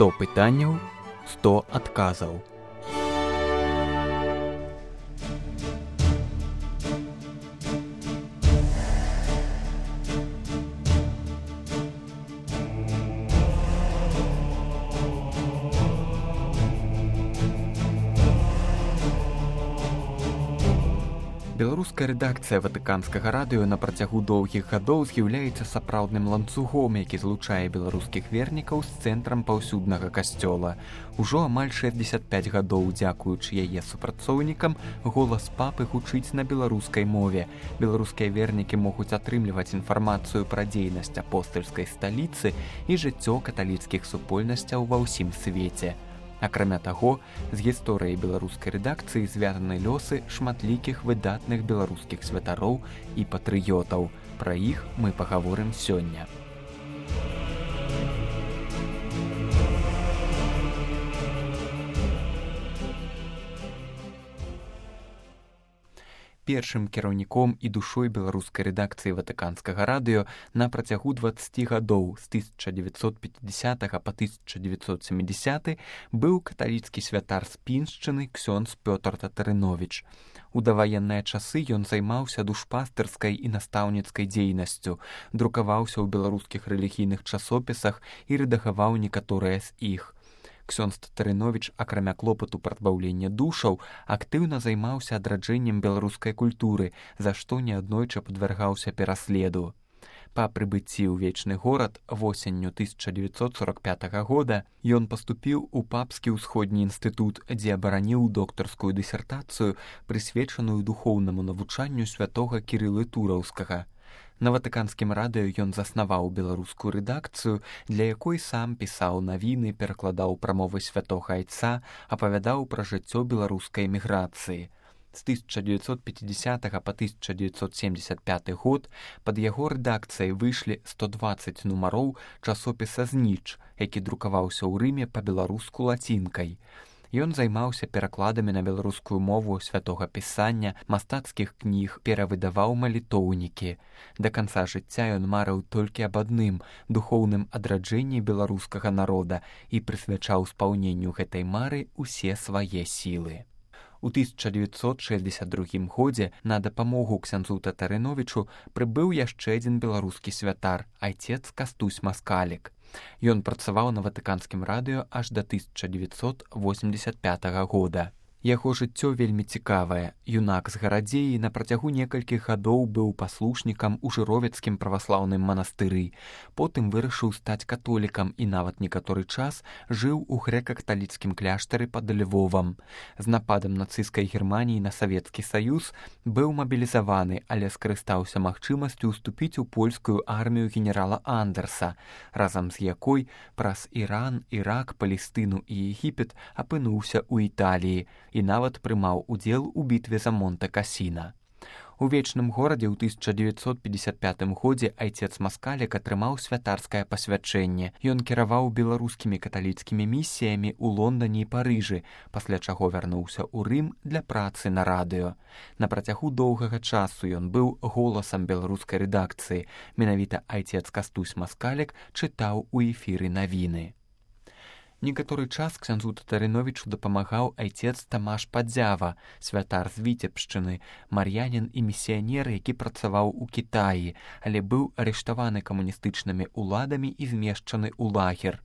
100 пытанняў, 100 адказаў. Беларуская рэдакцыя ватыканскага радыё на працягу доўгіх гадоў з'яўляецца сапраўдным ланцугом, які злучае беларускіх вернікаў з цэнтрам паўсюднага касцёла. Ужо амаль 65 гадоў, дзякуючы яе супрацоўнікам, голас папы гучыць на беларускай мове. Беларускія вернікі могуць атрымліваць інфармацыю пра дзейнасць апостальскай сталіцы і жыццё каталіцкіх супольнасцяў ва ўсім свеце. Акрамя таго, з гісторыяй беларускай рэдакцыі звязаны лёсы шматлікіх выдатных беларускіх святароў і патрыётаў. Пра іх мы пагаворым сёння. Першым кіраўніком і душой беларускай рэдакцыі ватыканскага радыё на працягу 20 гадоў з 1950 па 1970 быў каталіцкі святар з Піншчыны ксёндз Пётр Татарыновіч. У даваенныя часы ён займаўся душпастырскай і настаўніцкай дзейнасцю, друкаваўся ў беларускіх рэлігійных часопісах і рэдагаваў некаторыя з іх. Ксёндз Татарыновіч, акрамя клопату прадбаўлення душаў, актыўна займаўся адраджэннем беларускай культуры, за што неаднойчы падвяргаўся пераследу. Па прыбыцці ў вечны горад восенню 1945 года ён паступіў у папскі ўсходні інстытут, дзе абараніў доктарскую дысертацыю, прысвечаную духоўнаму навучанню святога Кірылы Тураўскага. На ватыканскім радыё ён заснаваў беларускую рэдакцыю, для якой сам пісаў навіны, перакладаў прамовы святога Айца, апавядаў пра жыццё беларускай эміграцыі. З 1950 па 1975 год пад яго рэдакцыяй выйшлі 120 нумароў часопіса «Зніч», які друкаваўся ў Рыме па-беларуску лацінкай. Ён займаўся перакладамі на беларускую мову святога пісання, мастацкіх кніг, перавыдаваў малітоўнікі. Да канца жыцця ён марыў толькі аб адным – духоўным адраджэнні беларускага народа і прысвячаў спаўненню гэтай мары ўсе свае сілы. У 1962 годзе на дапамогу ксяндзу Татарыновічу прыбыў яшчэ адзін беларускі святар – айцец Кастусь Маскалік. Ён працаваў на ватыканскім радыё аж да 1985 года. Яго жыццё вельмі цікавае. Юнак з Гарадзеі на працягу некалькіх гадоў быў паслушнікам у Жыровецкім праваслаўным манастыры. Потым вырашыў стаць католікам і нават некаторы час жыў у грэка-каталіцкім кляштары пад Львовам. З нападам нацысцкай Германіі на Савецкі Саюз быў мабілізаваны, але скарыстаўся магчымасцю ўступіць у польскую армію генерала Андерса, разам з якой праз Іран, Ірак, Палестыну і Егіпет апынуўся ў Італіі і нават прымаў удзел у бітве за Монте-Касіна. У вечным горадзе ў 1955 годзе айцец Маскалік атрымаў святарскае пасвячэнне. Ён кіраваў беларускімі каталіцкімі місіямі ў Лондане і Парыжы, пасля чаго вярнуўся ў Рым для працы на радыё. На працягу доўгага часу ён быў голасам беларускай рэдакцыі. Менавіта айцец Кастусь Маскалік чытаў у эфіры навіны. Некаторы час ксяндзу Татарыновічу дапамагаў айцец Тамаш Падзява, святар з Віцебшчыны, мар'янін і місіянер, які працаваў у Кітаі, але быў арыштаваны камуністычнымі ўладамі і змешчаны ў лагер.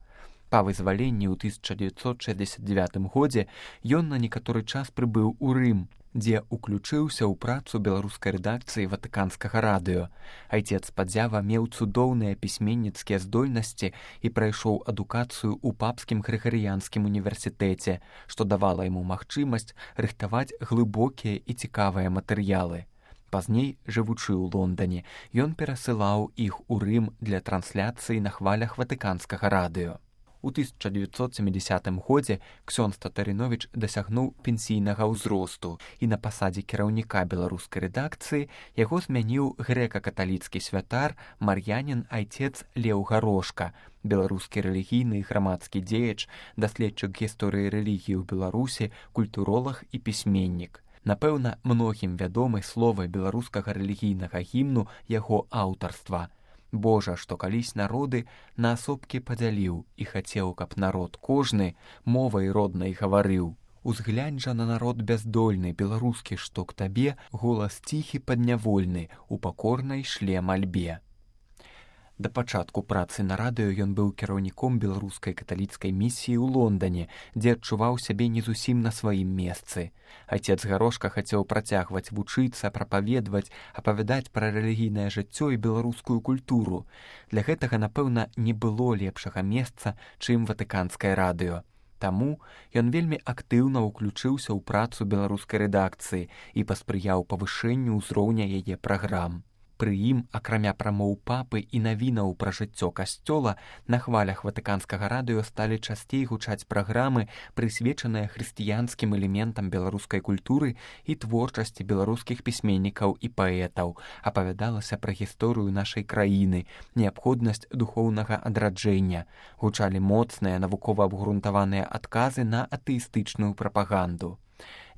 Па вызваленні ў 1969 годзе ён на некаторы час прыбыў у Рым, дзе уключыўся ў працу беларускай рэдакцыі ватыканскага радыё. Айцец Падзява меў цудоўныя пісьменніцкія здольнасці і прайшоў адукацыю ў папскім грыгарыянскім універсітэце, што давала яму магчымасць рыхтаваць глыбокія і цікавыя матэрыялы. Пазней, жывучы ў Лондане, ён перасылаў іх у Рым для трансляцыі на хвалях ватыканскага радыё. У 1970 годзе ксёндз Татарыновіч дасягнуў пенсійнага ўзросту і на пасадзе кіраўніка беларускай рэдакцыі яго змяніў грэка-каталіцкі святар мар'янін айцец Леў Гарошка, беларускі рэлігійны і грамадскі дзеяч, даследчык гісторыі рэлігіі ў Беларусі, культуролаг і пісьменнік. Напэўна, многім вядомы словы беларускага рэлігійнага гімну яго аўтарства. Божа, што калісь народы на асобкі падзяліў і хацеў, каб народ кожны мовай роднай гаварыў. Узглянь жа на народ бяздольны, беларускі, што к табе голас ціхі паднявольны у пакорнай шле мальбе. Да пачатку працы на радыё ён быў кіраўніком беларускай каталіцкай місіі ў Лондане, дзе адчуваў сябе не зусім на сваім месцы. Айцец Гарошка хацеў працягваць вучыцца, прапаведваць, апавядаць пра рэлігійнае жыццё і беларускую культуру. Для гэтага, напэўна, не было лепшага месца, чым ватыканскае радыё. Таму ён вельмі актыўна ўключыўся ў працу беларускай рэдакцыі і паспрыяў павышэнню ўзроўня яе праграм. Пры ім, акрамя прамоў папы і навінаў пра жыццё касцёла, на хвалях ватыканскага радыё сталі часцей гучаць праграмы, прысвечаныя хрысціянскім элементам беларускай культуры і творчасці беларускіх пісьменнікаў і паэтаў. Апавядалася пра гісторыю нашай краіны, неабходнасць духоўнага адраджэння. Гучалі моцныя, навукова абгрунтаваныя адказы на атэістычную прапаганду.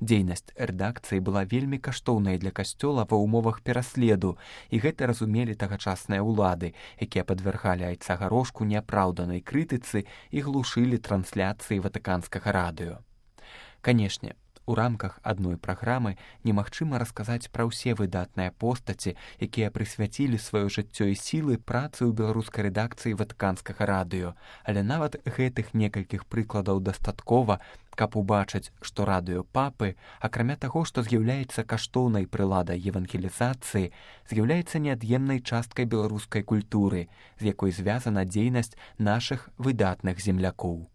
Дзейнасць рэдакцыі была вельмі каштоўнай для касцёла ва ўмовах пераследу, і гэта разумелі тагачасныя ўлады, якія падвяргалі айца Гарошку неапраўданай крытыцы і глушылі трансляцыі ватыканскага радыё. Канешне, у рамках адной праграмы немагчыма расказаць пра ўсе выдатныя постаці, якія прысвяцілі сваё жыццё і сілы працы ў беларускай рэдакцыі ватыканскага радыё, але нават гэтых некалькіх прыкладаў дастаткова, каб убачыць, што радыё папы, акрамя таго, што з'яўляецца каштоўнай прыладай евангелізацыі, з'яўляецца неад'емнай часткай беларускай культуры, з якой звязана дзейнасць нашых выдатных землякоў.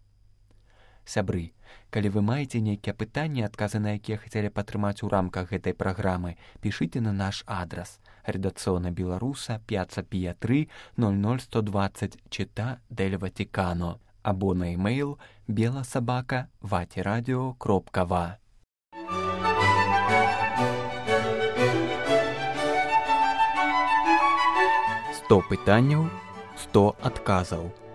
Сябры, калі вы маеце нейкія пытанні, адказы на якія хацелі падтрымаць у рамках гэтай праграмы, пішыце на наш адрас. Редакцыона Беларуса, Пьяцца Пія 3, 00120, Città del Vaticano, або на e-mail bela@vatiradio.va. 100 пытанняў, 100 адказаў.